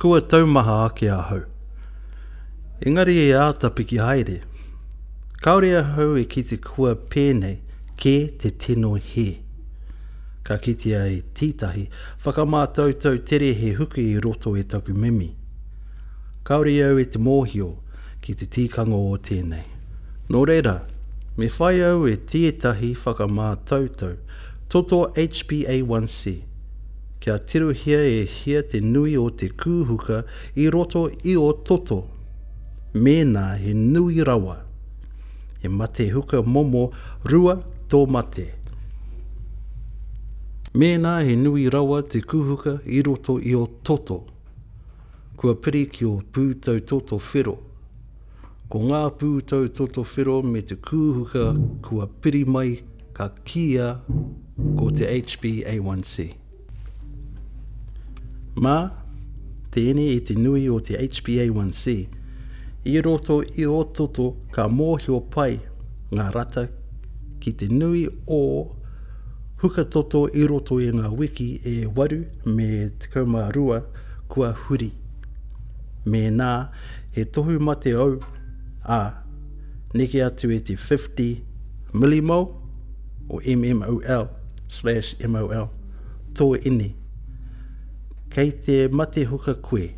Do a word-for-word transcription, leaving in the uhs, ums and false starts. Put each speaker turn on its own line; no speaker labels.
Kua taumaha ake ahau. Engari e āta piki haere. Kāore ahau e kite kua pēnei kē te tino hē. Ka kitea e tētahi whakamātautau tere he huka i roto i taku mimi. Kāore au e te mōhio ki te tikanga o tēnei. Nō reira, me whai au e tētahi whakamātautau toto H B A one C, kia tirohia e hia te nui o te kūhuka i roto i o toto. Mēnā he nui rawa. He mate huka momo rua tō mate. Mēnā he nui rawa te kūhuka i roto i o toto. Kua piri ki o pūtau toto whero. Ko ngā pūtau toto whero me te kūhuka kua piri mai ka kīia ko te H B A one C. Mā, tēnei i te nui o te H B A one C, i roto i o toto ka mōhio pai ngā rata ki te nui o huka toto i roto i ngā wiki e waru me tekau mā rua kua huri. Mēnā he tohu mate au, ā, neke atu e te fifty millimole o M M O L slash M O L tō ine. Kei te mate huka koe.